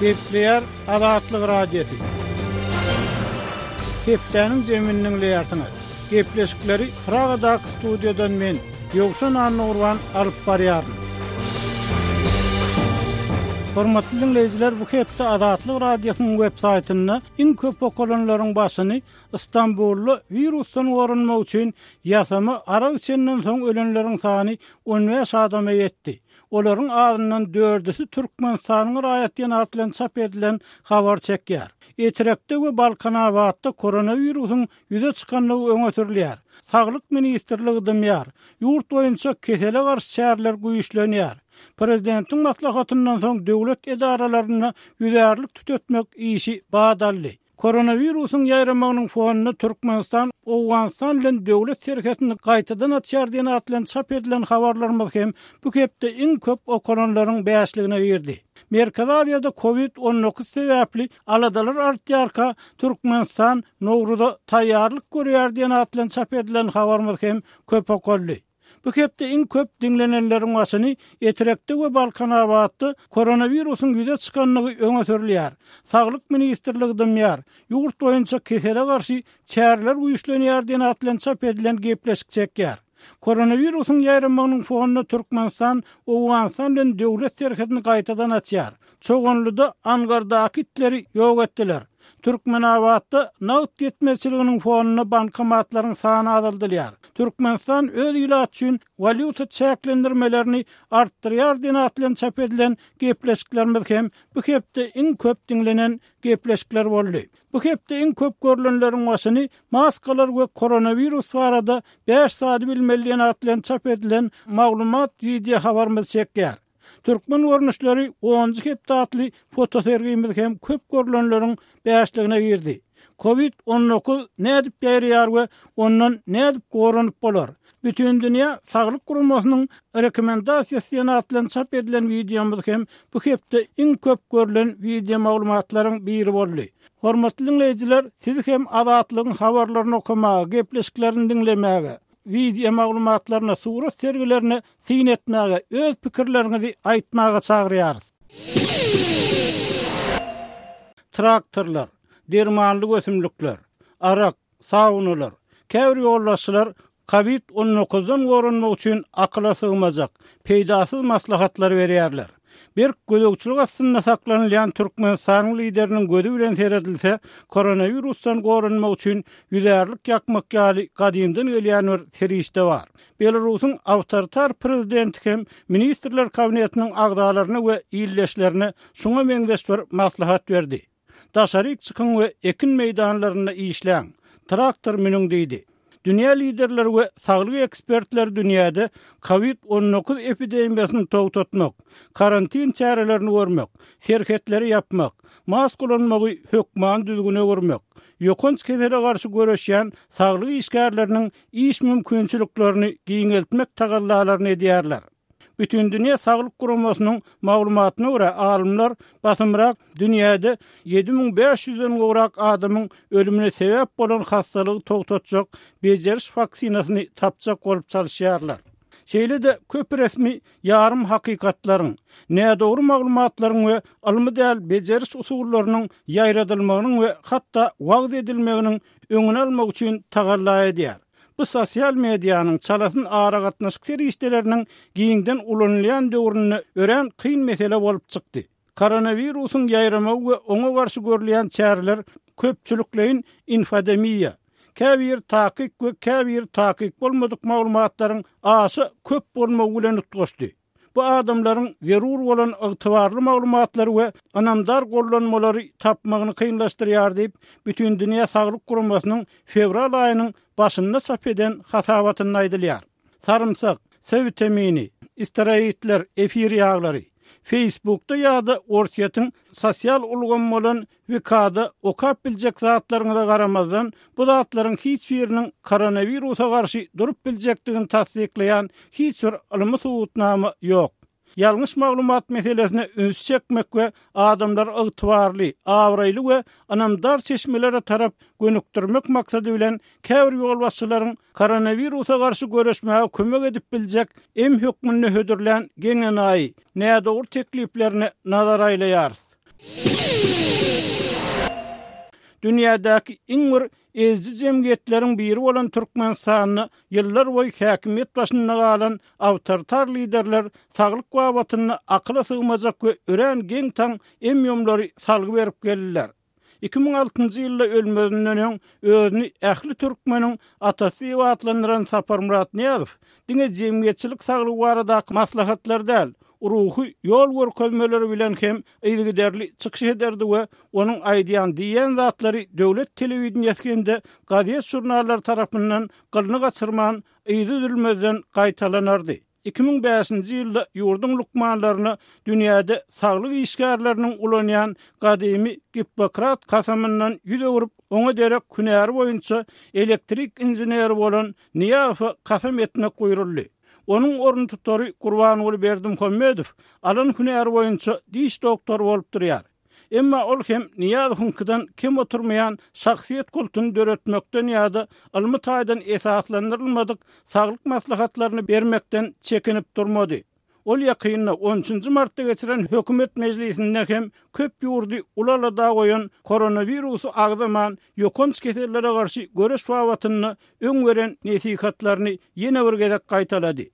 Gepleýär Azatlyk Radiosy. Hepdäniň jemini diňleýärsiňiz. Gepleşikleri Pragadaky studiýadan men, Ýowşan Annagurban alyp barýaryn. Hormatly diňleýjiler, bu hepde Azatlyk Radiosynyň web saýtynda iň köp okalanlaryň başyny Stambulda wirusdan goranmak üçin ýasama arak içenden soň ölenleriň sany 15 adama ýetdi. Olaryň azyndan dördüsi Türkmenistanyň raýat diýen at bilen çap edilen habar çekýär. Etrekde we Balkanabatda koronawirusyň ýüze çykandygy öňe sürülýär. Saglyk ministrligi dymýar. Ýurt boýunça kesele garşy çäreler güýçlenýär. Prezidentiň maslahatyndan soň döwlet edaralarynda ýüzärlik tütetmek işi bat aldy. Koronawirusyň ýaýramagynyň fonunda Türkmenistan Owganystan bilen döwlet serhetini gaýtadan açýar diýen at bilen çap edilen habarlarymyz hem bu hepde iň köp okalanlaryň bäşligine girdi. Merkezi Aziýada Covid 19 sebäpli aladalar artýarka, Türkmenistan Nowruza taýýarlyk görýär diýen at bilen çap edilen habarymyz hem köp okaldy. Bu hepde iň köp diňlenenleriň başyny Etrekde we Balkanabatda koronawirusyň ýüze çykandygy öňe sürülýär. Saglyk ministrligi dymýar. Ýurt boýunça kesele garşy çäreler güýçlenýär diýen at bilen çap edilen gepleşik çekýär. Koronawirusyň ýaýramagynyň fonunda Türkmenistan Owganystan bilen döwlet serhedini gaýtadan açýar. Çoganlyda angardaky itleri ýok etdiler. Türkmenabatda nagt ýetmezçiliginiň fonunda bankomatlaryň sany azaldylýar. Türkmenistan öz ilaty üçin walýuta çäklendirmelerini artdyrýar diýen at bilen çap edilen gepleşiklerimiz hem bu hepde iň köp diňlenen gepleşikler boldy. Bu hepde iň köp görlenleriň başyny maskalar we koronawirus barada bäş zady bilmeli diýen at bilen çap edilen maglumat wideo habarymyz çekýär. Türkmen görnüşleri onunjy hepde atly fotosergimiz hem köp görlenleriň bäşligine girdi. Covid 19 nädip ýaýraýar we ondan nädip goranyp bolar? Bütindünýä Saglyk Guramasynyň rekomendasiýasy diýen at bilen çap edilen wideomyz hem bu hepde iň köp görlen wideo maglumatlaryň biri boldy. Hormatly diňleýjiler, sizi hem Azatlygyň habarlaryny okamaga, gepleşiklerini diňlemäge, wideo maglumatlaryna, surat sergilerine syn etmäge, öz pikirleriňizi aýtmaga çagyrýarys. Traktorlar, dermanlyk ösümlikler, arak, saunalar, käbir ýolbaşçylar kowid 19 dan goranmak üçin akyla sygmajak, peýdasyz maslahatlary berýärler. Berk gözegçilik astynda saklanylýan Türkmenistanyň Lideriniň gözi bilen seredilse, koronawirusdan goranmak üçin ýüzärlik ýakmak ýaly gadymdan gelýän bir serişde bar. Belarusyň awtoritar prezidenti hem Ministrler Kabinetiniň agzalaryna we ildeşlerine şuňa meňzeş bir maslahat berdi. Daşaryk çykyň we ekin meýdanlarynda işläň, traktor münüň diýdi. Dünýä liderleri we saglyk ekspertleri dünýäde Covid 19 epidemiýasyny togtatmak, karantin çärelerini görmek, serhetleri ýapmak, maska ulanmagy hökmany düzgüne öwürmek, ýokanç kesele garşy göreşýän saglyk işgärleriniň iş mümkinçiliklerini giňeltmek tagallalaryny edýärler. Bütindünýä saglyk guramasynyň maglumatyna görä, alymlar basymrak dünýäde 7500 den gowrak adamyň ölümine sebäp bolan hassalygy togtatjak bejeriş waksinasyny tapjak bolup çalyşýarlar. Şeýle-de köp resmi ýarym hakykatlaryň, nädogry maglumatlaryň we ylmy däl bejeriş usullarynyň ýaýradylmagynyň we hatda wagyz edilmeginiň öňüni almak üçin tagalla edýär. Bu sosial medianyň, çalasyn aragatnaşyk serişdeleriniň giňden ulanylýan döwründe örän kyn mesele bolup çykdy. Koronawirusyň ýaýramagy we oňa garşy görülýän çäreler köpçülikleýin infodemiýa, käbir takyk we käbir takyk bolmadyk maglumatlaryň aşa köp bolmagy bilen utgaşdy. Bu adamlaryň zerur bolan ygtybarly maglumatlary we ynamdar gollanmalary tapmagyny kynlaşdyrýar diýip, Bütindünýä Saglyk Guramasynyň fewral aýynyň başynda çap eden hasabatynda aýdylýar. Sarymsak, C witamini, steroidler, efir ýaglary. Facebookda ýa-da Orsýetiň sosial ulgamy bolan VK-da okap biljek zatlaryňyza garamazdan, bu zatlaryň hiç biriniň koronawirusa garşy durup biljekdigini tassyklaýan hiç bir ylmy subutnama ýok. Ýalňyş maglumat meselesine ünsi çekmek we adamlary ygtybarly, abraýly we ynamdar çeşmelere tarap gönükdirmek maksady bilen käbir ýolbaşçylaryň koronawirusa garşy göreşmäge kömek edip biljek em hökmünde hödürlän geň-enaýy, nädogry tekliplerine nazar aýlaýarys. Dünýädäki iň bir eziji jemgyýetleriň biri bolan Türkmenistanda ýyllar boýy häkimiýet başynda galan awtoritar liderler saglyk babatynda akyla sygmajak we örän geň-taň em-ýumlary salgy berip geldiler. 2006-njy ýylda ölmezinden öň özüni ähli türkmeniň atasy diýip atlandyran Saparmyrat Nyýazow diňe jemgyýetçilik saglygy baradaky maslahatlar däl, ruhy ýol görkezmeleri bilen hem yzygiderli çykyş ederdi we onuň aýdýan, diýýän zatlary döwlet telewideniýesi hem-de gazet-žurnallar tarapyndan gylyny gaçyrman, yzy üzülmezden gaýtalanardy. 2005-nji ýylda ýurduň lukmanlaryna dünýäde saglyk işgärleriniň ulanýan gadymy Gippokrat kasamyndan ýüz öwrüp, oňa derek hünäri boýunça elektrik inženeri bolan Nyýazowa kasam etmek buýruldy. Onuň oruntutary Gurbanguly Berdimuhamedow alan hünäri boýunça diş doktory bolup durýar. Emma ol hem Nyýazowyňkydan kem oturmaýan şahsyýet kultuny döretmekden ýa-da ylmy taýdan esaslandyrylmadyk saglyk maslahatlaryny bermekden çekinip durmady. Ol ýakynda, on üçünji martda geçiren hökümet mejlisinde hem köp ýurdy uly alada goýan koronawirusy agzaman, ýokanç kesellere garşy göreş babatynda öň beren nesihatlaryny ýene bir gezek gaýtalady.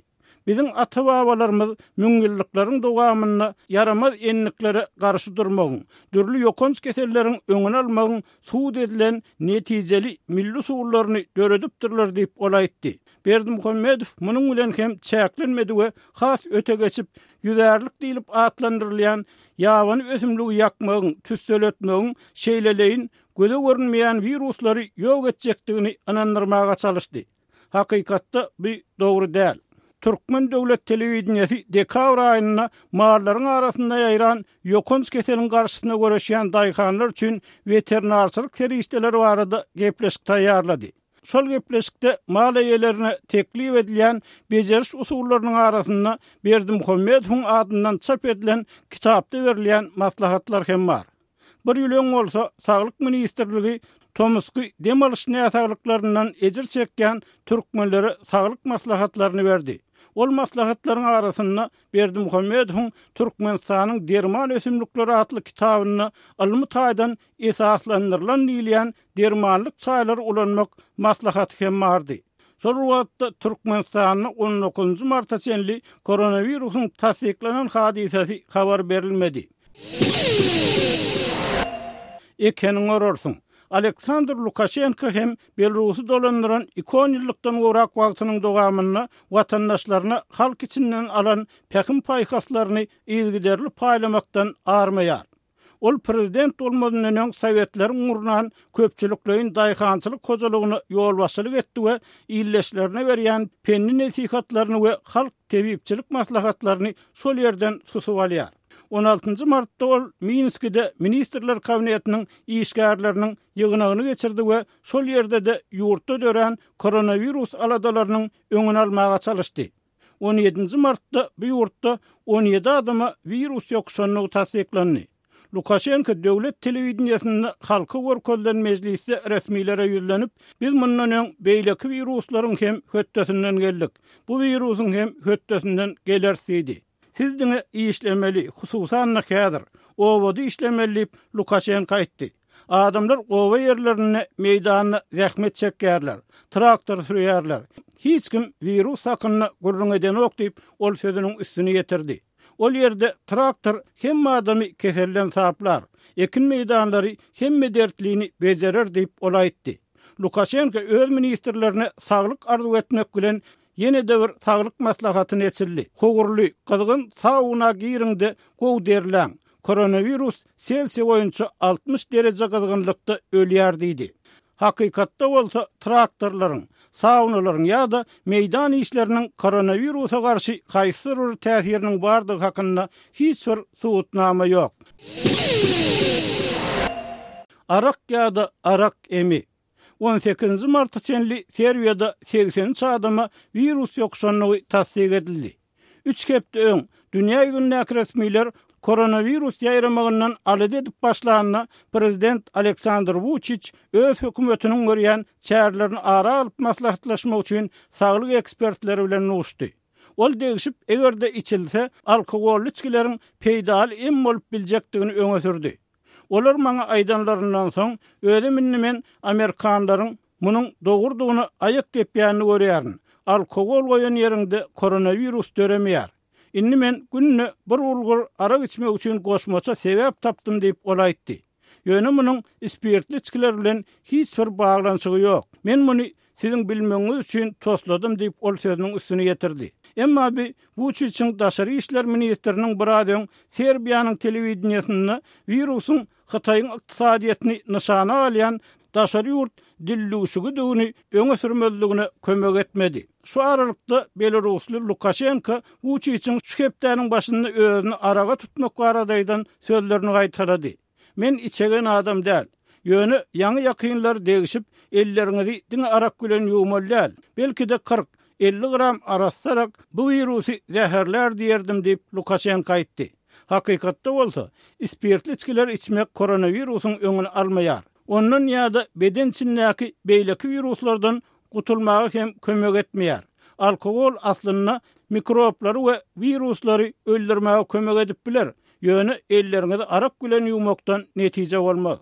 Biziň ata-babalarymyz müňýyllyklaryň dowamynda ýaramaz endiklere garşy durmagyň, dürli ýokanç keselleriň öňüni almagyň subut edilen netijeli milli usullaryny döredipdirler diýip, ol aýtdy. Berdimuhamedow munuň bilen hem çäklenmedi we has öte geçip, ýüzärlik diýlip atlandyrylýan ýabany ösümligi ýakmagyň, tüsseletmegiň şeýleleýin göze görünmeýän wiruslary ýok etjekdigini ynandyrmaga çalyşdy. Hakykatda bu dogry däl. Türkmen döwlet telewideniýesi dekabr aýynda mallaryň arasynda ýaýran ýokanç keseliň garşysyna göreşýän daýhanlar üçin weterinarçylyk serişdeleri barada gepleşik taýýarlady. Şol gepleşikde mal eýelerine teklip edilýän bejeriş usullarynyň arasynda Berdimuhamedowyň adyndan çap edilen kitapda berilýän maslahatlar hem bar. Bir ýyl öň bolsa Saglyk ministrligi tomusky dem alyş näsaglyklaryndan ejir çekýän türkmenlere saglyk maslahatlaryny berdi. Ol maslahatlaryň arasynda Berdimuhamedowyň Türkmenistanyň derman ösümlikleri atly kitabynda ylmy taýdan esaslandyrylan diýilýän dermanlyk çaýlary ulanmak maslahaty hem bardy. Şol bir wagtda, Türkmenistanda on dokuzynjy marta çenli koronawirusyň tassyklanan hadysasy habar berilmedi. Ekeniňi orarsyň. Aleksandr Lukaşenko hem Belarusy dolandyran iki onýyllykdan gowrak wagtynyň dowamynda watandaşlaryna halk içinden alan pähim-paýhaslaryny yzygiderli paýlamakdan armaýar. Ol prezident bolmazyndan öň sowetleriň gurnan köpçülikleýin daýhançylyk hojalygyna ýolbaşçylyk etdi we ildeşlerine berýän pendi-nesihatlaryny we halk tebipçilik maslahatlaryny şol ýerden susup alýar. On altynjy martda ol Minskide Ministrler Kabinetiniň işgärleriniň ýygnagyny geçirdi we şol ýerde-de ýurtda dörän koronawirus aladalarynyň öňüni almaga çalyşdy. On ýedinji martda bu ýurtda on ýedi adama wirus ýokuşandygy tassyklandy. Lukaşenko döwlet telewideniýesinde halka görkezilen mejlisde resmilere ýüzlenip, Biz mundan öň beýleki wiruslaryň hem hötdesinden geldik. Bu wirusyň hem hötdesinden geleris diýdi. Siz diňe işlemeli, hususan-da häzir. Obada işlemeli diýip, Lukaşenko aýtdy. Adamlar oba ýerlerinde meýdanda zähmet çekýärler, traktor sürýärler. Hiç kim wirus hakynda gürrüň edenok diýip, ol sözüniň üstüni ýetirdi. Ol ýerde traktor hemme adamy keselden saplar, ekin meýdanlary hemme dertlini bejerer diýip, ol aýtdy. Lukaşenko öz ministrlerine saglyk arzuw etmek bilen, ýene-de bir saglyk maslahatyny eçildi. Howurly, gyzgyn sauna giriň-de, gowy derläň. Koronawirus Selsiý boýunça 60 dereje gyzgynlykda ölýär diýdi. Hakykatda bolsa traktorlaryň, saunalaryň ýa-da meýdan işleriniň koronawirusa garşy haýsydyr bir täsiriniň bardygy hakynda hiç bir subutnama ýok. Arak ýa-da arak emi. On sekizinji marta çenli Serbiýada 83 adama wirus ýokuşandygy tassyk edildi. Üç hepde öň, dünýä ýüzündäki resmiler koronawirus ýaýramagyndan alada edip başlanda, prezident Aleksandr Wuçiç öz hökümetiniň görýän çärelerini ara alyp maslahatlaşmak üçin saglyk ekspertleri bilen duşdy. Ol degşip, eger-de içilse, alkogolly içgileriň peýdaly em bolup biljekdigini öňe sürdi. Olar maňa aýdanlaryndan soň, özüm indi men amerikanlaryň munuň dogrudygyna aýak depýänini görýärin. Alkogol goýan ýeriňde koronawirus döremeýär. Indi men günde bir bulgur arak içmek üçin goşmaça sebäp tapdym diýip, ol aýtdy. Ýöne munuň spirtli içgiler bilen hiç bir baglanyşygy ýok. Men muny siziň bilmegiňiz üçin tosladym diýip, ol sözüniň üstüni ýetirdi. Emma bi Wuçiçiň daşary işler ministriniň biraz öň Serbiýanyň telewideniýesinde wirusyň Hytaýyň ykdysadyýetini nyşana alýan daşary ýurt dildüwşügidigini öňe sürmezligine kömek etmedi. Şu aralykda, belarusly Lukaşenko Wuçiçiň şu hepdäniň başynda özüni araga tutmak barada aýdan sözlerini gaýtalady. Men içegen adam däl. Ýöne ýaňy-ýakynlar degişip, elleriňizi diňe arak bilen ýuwmaly däl. Belki-de 40, 50 gram arassa arak bu wirusy zäherlär diýerdim diýip, Lukaşenko aýtdy. Hakykatda bolsa, spirtli içgileri içmek koronawirusyň öňüni almaýar. Ondan ýa-da beden içindäki beýleki wiruslardan gutulmaga hem kömek etmeýär. Alkogol aslynda mikroblary we wiruslary öldürmäge kömek edip biler, ýöne elleriňizi arak bilen ýuwmakdan netije bolmaz.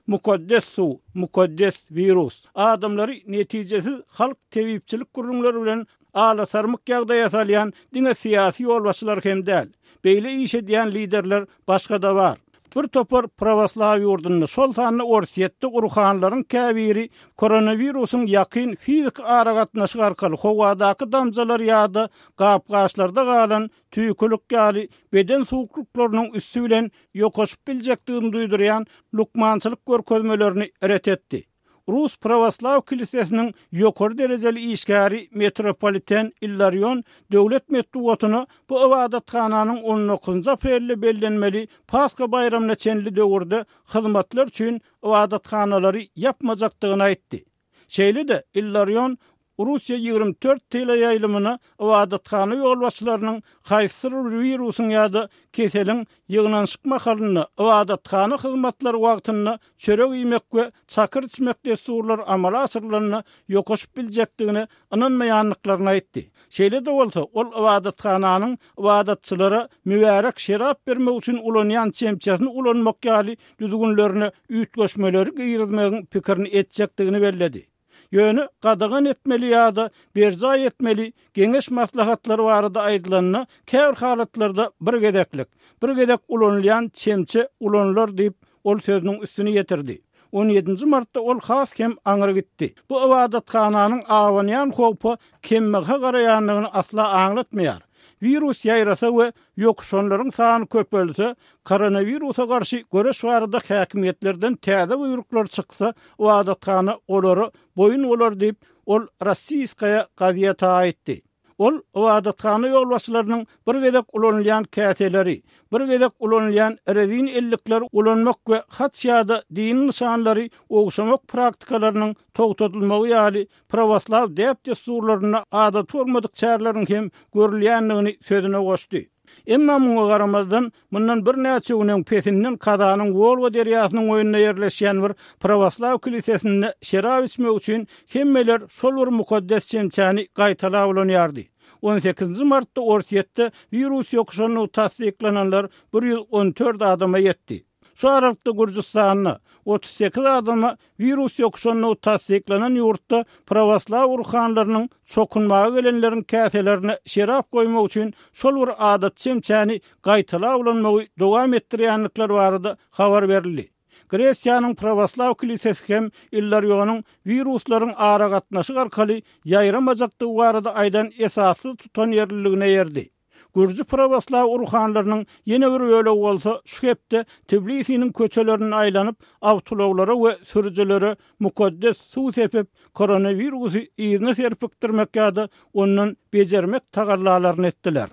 Mukaddes suw, mukaddes wirus. Adamlary netijesiz halk tebipçilik gürrüňleri bilen alasarmyk ýagdaýa salýan diňe syýasy ýolbaşçylar hem däl. Beýle iş edýän liderler başga-da bar. Bir topar prawoslaw ýurdunda, şol sanda Orsýetde urhanlaryň käbiri koronawirusyň ýakyn fiziki aragatnaşyk arkaly howadaky damjalar ýa-da gap-gaçlarda galan tüýkülik ýaly beden suwuklyklarynyň üsti bilen ýokaşyp biljekdigini duýdurýan lukmançylyk görkezmelerini ret etdi. Rus Prawoslaw kilisesiniň ýokary derejeli işgäri metropoliten Illarion döwlet metbugatyna bu ybadathananyň on dokuzynjy aprelde bellenmeli Pasha baýramyna çenli döwürde hyzmatlar üçin ybadathanalary ýapmajakdygyny aýtdy. Şeýle-de, Illarion Russiýa 24 teleýaýlymyna ybadathana ýolbaşçylarynyň haýsydyr bir wirusyň ýa-da keseliň ýygnanyşyk mahalynda ybadathana hyzmatlary wagtynda çörek iýmek we çakyr içmek dessurlary amala aşyrylanda ýokaşyp biljekdigine ynanmaýandyklaryny aýtdy. Şeýle-de bolsa, ol ybadathananyň ybadatçylara mübärek şerap bermek üçin ulanýan çemçesini ulanmak ýaly düzgünlerine üýtgeşmeleri girizmegiň pikirini etjekdigini belledi. Ýöne gadagan etmeli ýa-da berjaý etmeli geňeş-maslahatlary barada aýdylanda, käbir halatlarda bir gezeklik, bir gezek ulanylýan çemçe ulanylar diýip, ol sözüniň üstüni ýetirdi. On ýedinji martda ol has hem aňry gitdi. Bu ybadathananyň abanýan howpa kembaha garaýandygyny asla aňlatmaýar. Wirus ýaýrasa we ýokuşanlaryň sany köpelse, koronawirusa garşy göreş barada häkimiýetlerden täze buýruklar çyksa, ybadathana olara boýun bolar diýip, ol Rossiýskaýa gazeta aýtdy. Ol ybadathana ýolbaşçylarynyň bir gezek ulanylýan käseleri, bir gezek ulanylýan rezin ellikleri ulanmak we haç ýa-da dini nyşanlary ogşamak praktikalarynyň togtadylmagy ýaly prawoslaw däp-dessurlarynda adaty bolmadyk çäreleriň hem görülýändigini sözüne goşdy. Emma muňa garamazdan, mundan birnäçe gün öň pesinden Kazanyň Wolga derýasynyň boýunda ýerleşýän bir prawoslaw kilisesinde şerap içmek üçin hemmeler şol bir mukaddes çemçäni gaýtalap ulanýardy. On sekizinji martda Orsýetde wirus ýokuşandygy tassyklananlar 114 adama ýetdi. Şu aralykda Gürjüstanda, 38 adama wirus ýokuşandygy tassyklanan ýurtda prawoslaw ruhanlarynyň çokunmaga gelenleriň käselerine şerap goýmak üçin şol bir adaty çemçäni gaýtalap ulanmagy dowam etdirýändikleri barada habar berildi. Gresiýanyň prawoslaw kilisesi hem Illarionyň wiruslaryň aragatnaşyk arkaly ýaýramajakdygy barada aýdan esassyz tutanýerliligine eýerdi. Gürji prawoslaw ruhanlarynyň ýene bir bölegi bolsa şu hepde Tbilisiniň köçelerinde aýlanyp, awtoulaglara we sürüjilere mukaddes suw sepip, koronawirusy yzyna serpikdirmek ýa-da ondan bejermek tagallalaryny etdiler.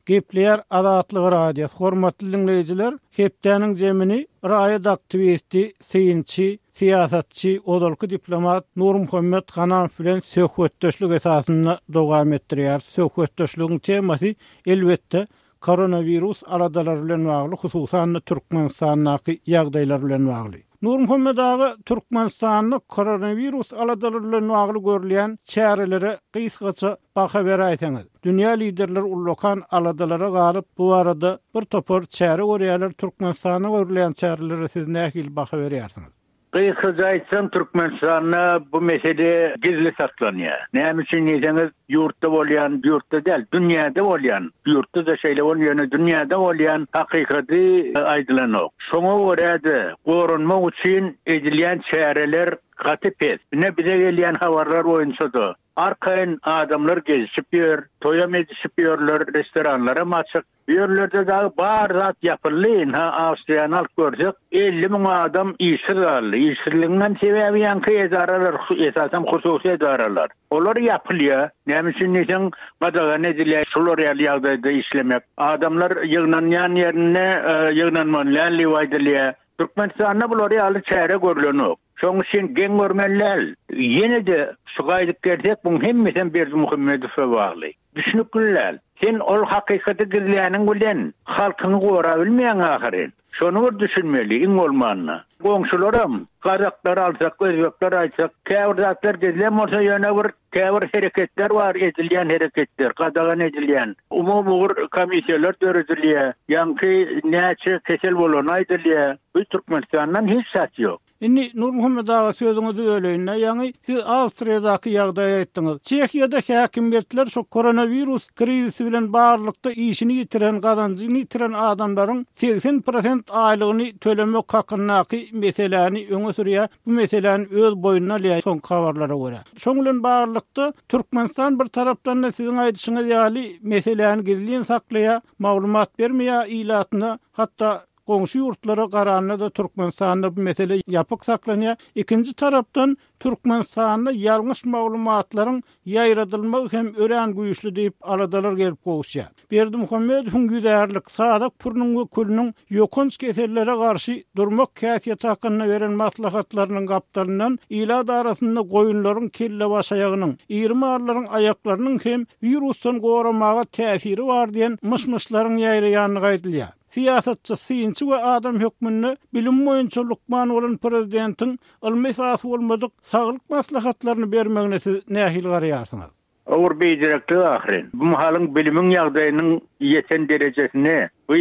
Gepleýär Azatlyk Radiosy, hormatly diňleýjiler, hepdäniň zemini raýat aktiwisti, synçy, syýasatçy, ozalky diplomat Nurmuhammet Hanamow bilen söhbetdeşlik esasynda dowam etdirýäris. Söhbetdeşligiň temasy, elbetde, koronawirus aladalary bilen bagly, hususan-da, Türkmenistandaky ýagdaýlar bilen bagly. Nurmuhammet aga, Türkmenistanda koronawirus aladalary bilen bagly görülýän çärelere gysgaça baha beräýseňiz? Dünýä liderleri ullakan aladalara galyp, bu barada bir topar çäre görýärler. Türkmenistanda görülýän çärelere siz nähili baha berýärsiňiz? Gysgaça aýtsam, Türkmenistanda bu mesele gizli saklanýar. Näme üçin diýseňiz, ýurtda bolýan, ýurtda däl, dünýäde bolýan, ýurtda-da şeýle bolýar, ýöne dünýäde bolýan hakykaty aýdylanok. Şoňa görä-de, goranmak üçin edilýän çäreler gaty pes. Ine, bize gelýän habarlar boýunça-da, arkaýyn adamlar gezişip ýör, toýam edişip ýörler, restoranlaram açyk. Bu ýerlerde dagy bar zat ýapyldy, ynha Awstriýany alyp görsek, 50 müň adam işsiz galdy. Işsizligiňem sebäbi ýaňky edaralar, esasan hususy edaralar. Olar ýapylýar. Näme üçin diýseň, gadagan edilýär şular ýaly ýagdaýda işlemek. Adamlar ýygnanýan ýerinde ýygnanmaly däl diýip aýdylýar. Türkmenistanda bular ýaly çäre görlenok. Şoň üçin geň görmeli däl. Ýene-de şu gaýdyp gelsek, buň hemmesem Berdimuhamedowa bagly. Düşnükli däl. Sen ol hakykaty gizläniň bilen halkyňy gorabilmeýäň ahyryn. Şony bir düşünmeli iň bolmanda. Goňşularam, gazaklary alsak, özbekleri aýtsak, käbir zatlar gizlän bolsa ýöne bir käbir hereketler bar edilýän hereketler, gadagan edilýän. Umumy ugur komissiýalar döredilýär. Ýaňky näçe kesel bolany aýdylýar. Bu Türkmenistandan hiç zat ýok. Indi Nurmuhammet aga sözüňizi böleýin-dä, ýaňy siz Awstriýadaky ýagdaýy aýtdyňyz. Çehiýada häkimiýetler şu koronawirus krizisi bilen baglylykda işini ýitiren, gazanjyny ýitiren adamlaryň 80 prosent aýlygyny tölemek hakyndaky meseläni öňe sürýär, bu meseläni öz boýnuna alýar soňky habarlara görä. Şoň bilen baglylykda Türkmenistan bir tarapdan-da siziň aýdyşyňyz ýaly meseläni gizlin saklaýar, maglumat bermeýär ilatyna, hatda Goňşy ýurtlara garanda-da Türkmenistanda bu mesele ýapyk saklanýar. Ikinji tarapdan, Türkmenistanda ýalňyş maglumatlaryň ýaýradylmagy hem örän güýçli diýip, aladalar gelip gowuşýar. Berdimuhamedowyň ýüzärlik, sazak pürüniň we külüniň ýokanç kesellere garşy durmak häsiýeti hakynda beren maslahatlarynyň gapdalyndan ilat arasynda goýunlaryň kellebaşaýagynyň, iri mallaryň aýaklarynyň hem wirusdan goramaga täsiri bar diýen myş-myşlaryň ýaýraýandygy aýdylýar. Syýasatçy, synçy we adam hökmünde bilim boýunça lukman bolan prezidentiň ylmy esasy bolmadyk saglyk maslahatlaryny bermegine siz nähili garaýarsyňyz? Ugur beýdireklik ahyryn. Bu mahalyň bilimiň ýagdaýynyň ýeten derejesinde bu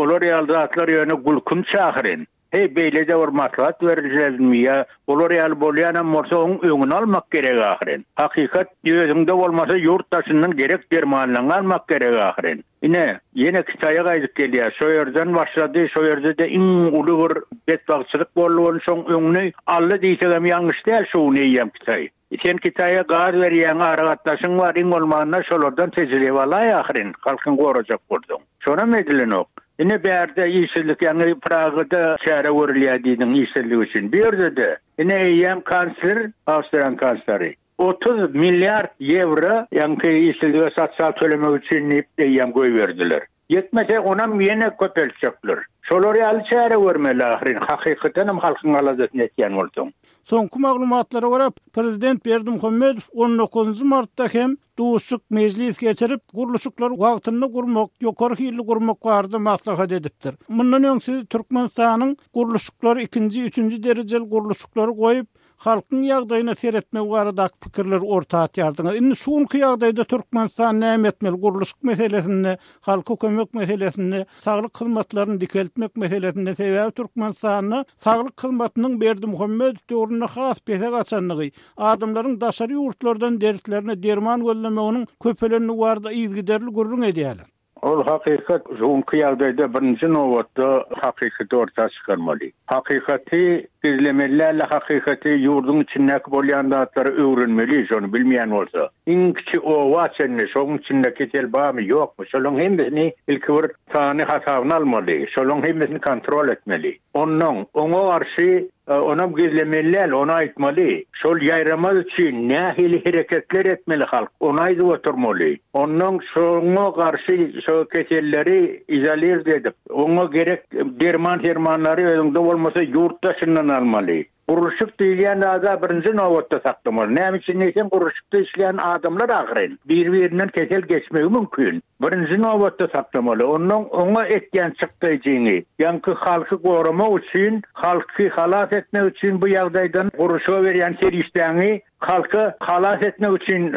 olar ýaly zatlar ýöne gülkünç ahyryn. Heý, beýle-de bir maslahat berilmezmi ýa olar ýaly bolýanam bolsa oň öňüni almak gerek ahyryn. Hakykat özüňde bolmasa ýurt daşyndan gerek dermanlaňy almak gerek ahyryn. Ine, ýene Kitaýa gaýdyp gelýär. Şo ýerden başlady, şo ýerde-de iň uly bir betbagtçylyk boldy, ony şoň öňüni aldy diýsegem ýalňyş däl şu gün eýýäm Kitaý. Sen Kitaýa gaz berýäň, aragatnaşyň bar, iň bolmanda şolardan tejribe alaý ahyryn, halkyňy gorajak bolsaň. Şonam edilenok. Ine bärde işsizlik ýaňy Pragada çäre görülýär diýdiň işsizlik üçin. Bu ýerde-de ine eýýäm kansler, Awstriýanyň kansleri 30 milliard ýewro ýaňky işsizlige sosial tölemek üçin diýip eýýäm goýberdiler. Ýetmese onam ýene köpeltjekler. Şolar ýaly çäre görmeli ahyryn, hakykatanam halkyň aladasyny etýän bolsaň. Soňky maglumatlara görä, prezident Berdimuhamedow on dokuzynjy martda hem duşuşyk, mejlis geçirip, gurluşyklary wagtynda gurmak, ýokary hilli gurmak barada maslahat edipdir. Mundan öň siz Türkmenistanyň gurluşyklary ikinji, üçünji derejeli gurluşyklary goýup, halkyň ýagdaýyna seretmek baradaky pikirleri orta atýardyňyz. Indi şu günki ýagdaýda Türkmenistan näme etmeli gurluşyk meselesinde, halka kömek meselesinde, saglyk hyzmatlaryny dikeltmek meselesinde sebäbi Türkmenistanda saglyk hyzmatynyň Berdimuhamedow döwründe has pese gaçandygy, adamlaryň daşary ýurtlardan dertlerine derman gözlemeginiň köpelendigi barada yzygiderli gürrüň edýärler. Ol hakykat şu günki ýagdaýda birinji nobatda hakykaty orta çykarmaly. Hakykaty gizlemeli dälde hakykaty ýurduň içindäki bolýan zatlary öwrenmeli şony bilmeýän bolsa. Iň kiçi oba çenli şoň içinde kesel barmy ýokmy şolaň hemmesini ilki bir sany hasabyny almaly şolaň hemmesini kontrol etmeli. Onnoň oňa garşy Onam gizlemeli däl, ony aýtmaly. Şol ýaýramaz üçin nähili hereketler etmeli halk, ony aýdyp oturmaly. Onnoň şoňa garşy şo keselleri izolird edip, oňa gerek derman-sermanlary özüňde bolmasa ýurt daşyndan almaly. Gurluşyk diýilýän zada birinji nobatda saklamaly. Näme üçin diýseň, gurluşykda işleýän adamlar ahyryn. Bir-birinden kesel geçmegi mümkin. Birinji nobatda saklamaly. Onnoň oňa etýän çykdaýjyňy, ýaňky halky goramak üçin, halky halas etmek üçin bu ýagdaýdan gurluşyga berýän serişdäňi halky halas etmek üçin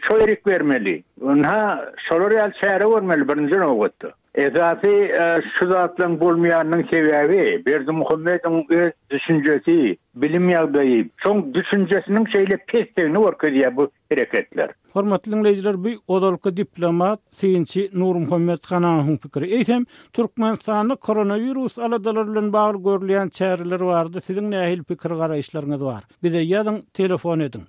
şo ýerik bermeli. Ynha, şolar ýaly çäre görmeli birinji nobatda. Esasy şu zatlaryň bolmaýanynyň sebäbi Berdimuhamedowyň öz düşünjesi, bilim ýagdaýy, şoň düşünjesiniň şeýle pesdigini görkezýär bu hereketler. Hormatly diňleýjiler bu ozalky diplomat, synçy Nurmuhammet Hananowyň pikiri. Eýsem, Türkmenistanda koronawirus aladalary bilen bagly görülýän çäreler barada siziň nähili pikir-garaýyşlaryňyz bar? Bize ýazyň, telefon ediň.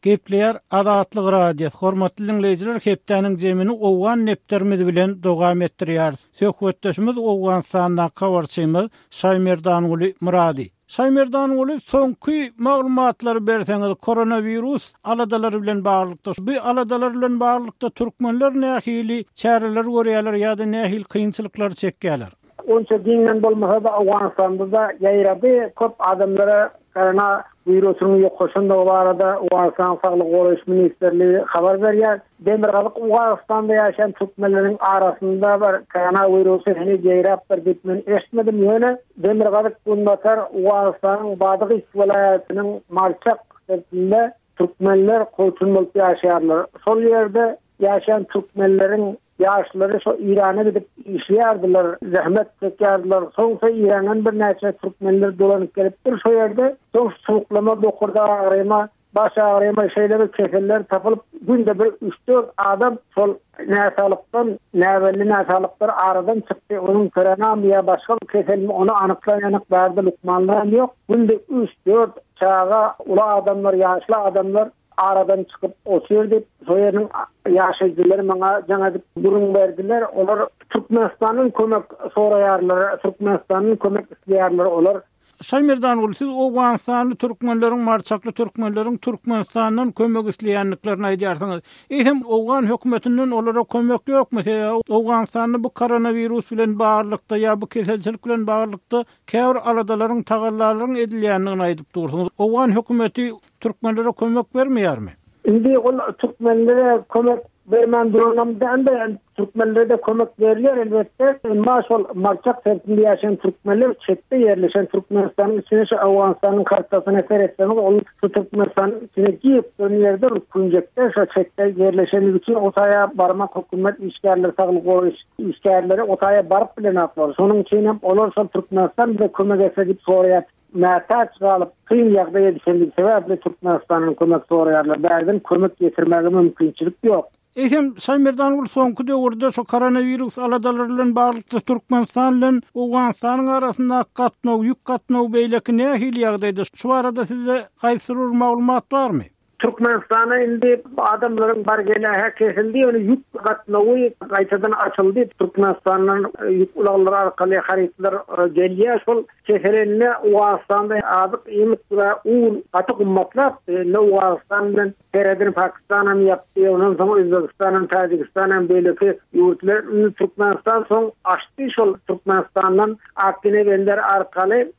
Gepleýär Azatlyk Radiosy, Hormatly diňleýjiler hepdäniň jemini owgan depderimiz bilen dowam etdirýäris. Söhbetdeşimiz Owganystandaky habarçymyz Şaýmerdanguly Myrady. Şaýmerdanguly soňky maglumatlary berseňiz koronawirus aladalary bilen baglylykda bu aladalar bilen baglylykda türkmenler nähili çäreler görýärler ýa-da nähili kynçylyklary çekýärler? Onça giňden bolmasa-da Owganystanda-da ýaýrady. Köp adamlara korona wirusynyň ýokaşandygy barada Owganystanyň Saglygy goraýyş ministrligi habar berýär. Demirgazyk Owganystanda ýaşaýan türkmenleriň arasynda bir korona wirusy heniz ýaýrapdyr diýip men eşitmedim. Ýöne demirgazyk günbatar Owganystanyň Badygys welaýatynyň Marçak sebitinde türkmenler kowçum bolup ýaşaýarlar. Şol ýerde ýaşaýan türkmenleriň Ýaşlary şo Eýrana gidip işleýärdiler, zähmet çekýärdiler. Soň şo Eýrandan birnäçe türkmenler dolanyp gelipdir şo ýerde. Soň sowuklama, bokurdak agyryma, baş agyryma şeýle bir keseller tapylyp, günde bir üç-dört adam şol näsaglykdan, näbelli näsaglyklar aradan çykdy. Onuň koronamy ýa başga bir keselmi ony anyklaýanyk bärde lukmanlaram ýok. Günde üç-dört çaga, uly adamlar, ýaşly adamlar aradan çykyp otyr diýip, şo ýeriniň ýaşaýjylary maňa jaň edip gürrüň berdiler. Olar Türkmenistandan kömek soraýarlar, Türkmenistandan kömek isleýärler olar. Şaýmerdanguly, siz owganystanly türkmenleriň, marçakly türkmenleriň Türkmenistandan kömek isleýändiklerini aýdýarsyňyz. Eýsem, owgan hökümetinden olara kömek ýokmy? Sebäbi Owganystanda bu koronawirus bilen baglylykda ýa bu keselçilik bilen baglylykda Käbir aladalaryň, tagallalaryň edilýändigini aýdyp dursuňyz. Owgan hökümeti türkmenlere kömek bermeýärmi? Indi ol türkmenlere kömek bermän duranam dälde, türkmenlere-de kömek berilýär elbetde. Emma şol Marçak sebitinde ýaşaýan türkmenler çetde ýerleşen Türkmenistanyň içine şu Owganystanyň kartasyna seretseňiz ol şu Türkmenistanyň içine girip duran ýerde bir künjekde şo çetde ýerleşenligi üçin o taýa barmak hökümet işgärleri saglygy goraýyş Işgärleri o taýa baryp bilenoklar. Şonuň üçin hem olar şol Türkmenistan bize kömek etse diýip soraýar. Mätäç galyp, kyn ýagdaýa düşendigi sebäpli Türkmenistandan kömek soraýarlar. Bärden kömek ýetirmäge mümkinçilik ýok. Eýsem, Şaýmerdanguly soňky döwürde şu koronawirus aladalary bilen baglylykda Türkmenistan bilen Owganystanyň arasyndaky gatnaw, ýük gatnawy beýleki nähili ýagdaýda? Şu barada sizde haýsydyr bir maglumat barmy? Türkmenistana indi adamlaryň bar-geli-hä kesildi, ýöne ýük gatnawy gaýtadan açyldy. Türkmenistandan ýük ulaglary arkaly harytlar gelýär. Şol keselende Owganystanda azyk iýmit we un gaty gymmatlapdy. Indi Owganystan bilen serhedini Pakistan hem ýapdy, ondan soň Özbegistan hem, Täjigistan hem beýleki ýurtlar. Indi Türkmenistan soň açdy şol Türkmenistandan Akgine bender arkaly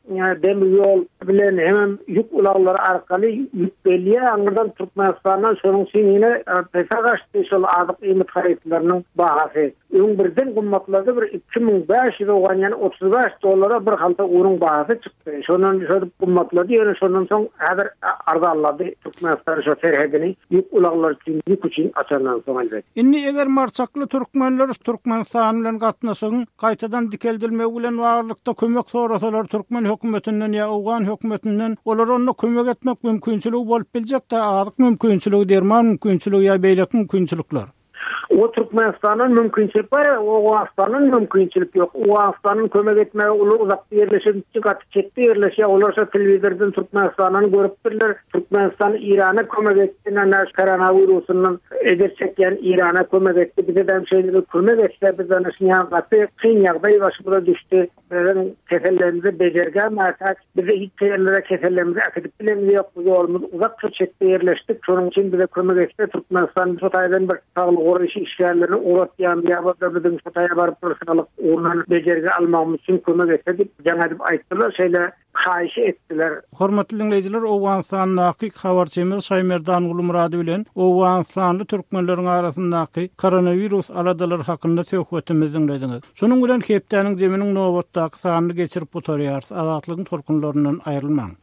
demir ýol bilen hemem ýük ulaglary arkaly ýük gelýär aňyrdan Türkmenistandan şonuň üçin ýene pese gaçdy şol azyk iýmit harytlarynyň bahasy. Öň birden gymmatlady bir 2500 owgan ýany 35 dollara bir halta unuň bahasy çykdy. Şondan şödüp gymmatlady ýöne şondan soň häzir arzanlady Türkmenistan şo serhedini ýük ulaglary üçin ýük üçin açandan soň elbet. Indi eger marçakly türkmenler Türkmenistan bilen gatnaşygyň gaýtadan dikeldilmegi bilen baglylykda kömek sorasalar türkmen hökümetinden ýa owgan hökümetinden olara onda kömek etmek mümkinçiligi bolup biljek-dä, azyk mümkinçiligi, derman mümkinçiligi ýa beýleki mümkinçilikler. O Türkmenistandan mümkinçilik bar, Owganystandan mümkinçilik ýok. Owganystandan kömek etmäge olar uzakda ýerleşen, gaty çetde ýerleşýär. Olar şo telewizordan Türkmenistandan görüpdirler. Türkmenistan Eýrana kömek etdi, ine koronawirusyndan ejir çekýän Eýrana kömek etdi. Bize-de şeýle bir kömek etse, biz ine şuny ýaly gaty kyn ýagdaý başymyza düşdi. Biziň kesellerimize bejergä mätäç. Bize hiç ýerlere kesellerimizi äkidip bilemiz ýok. Bu ýolumyz uzak şu çetde ýerleşdik. Şonuň üçin bize kömek etse Türkmenistan şu taýdan bir saglygy goraýyş. işgärlerini ugratýarmy ýa bolsa biziň şu taýa baryp bir saglyk ugrundan bejergi almagymyz üçin kömek etse diýip jaň edip aýtdylar. Şeýle haýyş etdiler. Hormatly diňleýjiler, Owganystandaky habarçymyz Şaýmerdan Gulmyrady bilen owganystanly türkmenleriň arasyndaky koronawirus aladalary hakynda söhbetimizi diňlediňiz. Şunuň bilen hepdäniň zeminiň nobatdaky sanyny geçirip gutarýarys. Azatlygyň tolkunlaryndan aýrylmaň.